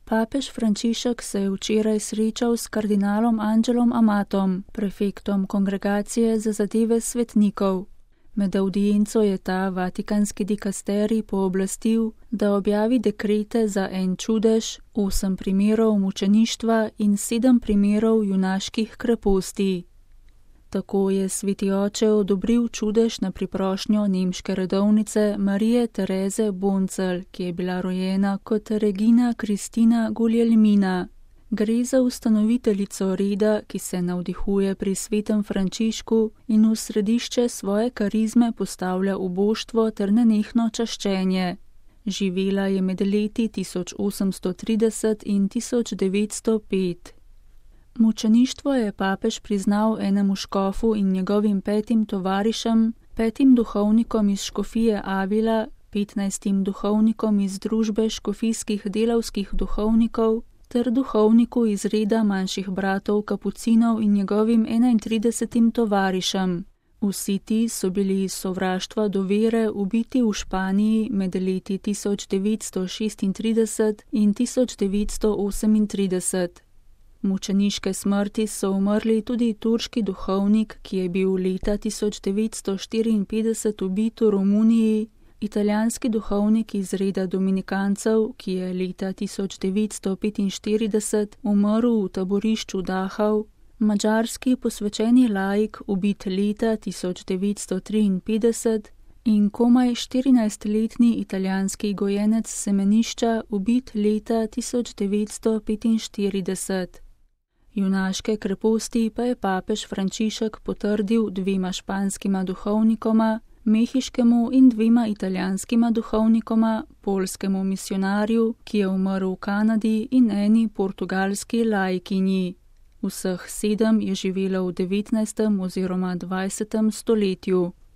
Papež Frančišek se je včeraj srečal s kardinalom Angelom Amatom, prefektom Kongregacije za zadeve svetnikov. Med avdienco je ta vatikanski dikasterij pooblastil, da objavi dekrete za en čudež, 8 primerov mučeništva in 7 primerov junaških kreposti. Tako je sveti oče odobril čudež na priprošnjo nemške redovnice Marije Tereze Boncelj, ki je bila rojena kot Regina Kristina Guglielmina. Gre za ustanoviteljico reda, ki se navdihuje pri svetem Frančišku in v središče svoje karizme postavlja uboštvo ter nenehno čaščenje. Živela je med leti 1830 in 1905. Mučeništvo je papež priznal enemu škofu in njegovim 5 tovarišem, 5 duhovnikom iz škofije Avila, 15 duhovnikom iz družbe škofijskih delavskih duhovnikov ter duhovniku iz reda manjših bratov kapucinov in njegovim 31 tovarišem. Vsi ti so bili iz sovraštva do vere ubiti v Španiji med leti 1936 in 1938. Mučeniške smrti so umrli tudi turški duhovnik, ki je bil leta 1954 ubit v Romuniji, italijanski duhovnik iz reda dominikancev, ki je leta 1945 umrl v taborišču Dachau, madžarski posvečeni laik ubit leta 1953 in komaj 14-letni italijanski gojenec semenišča ubit leta 1945. Junaške kreposti pa je papež Frančišek potrdil 2 španskima duhovnikoma, mehiškemu in 2 italijanskima duhovnikoma, poljskemu misionarju, ki je umrl v Kanadi, in eni portugalski laikinji. Vseh 7 je živelo v 19. oziroma 20. stoletju.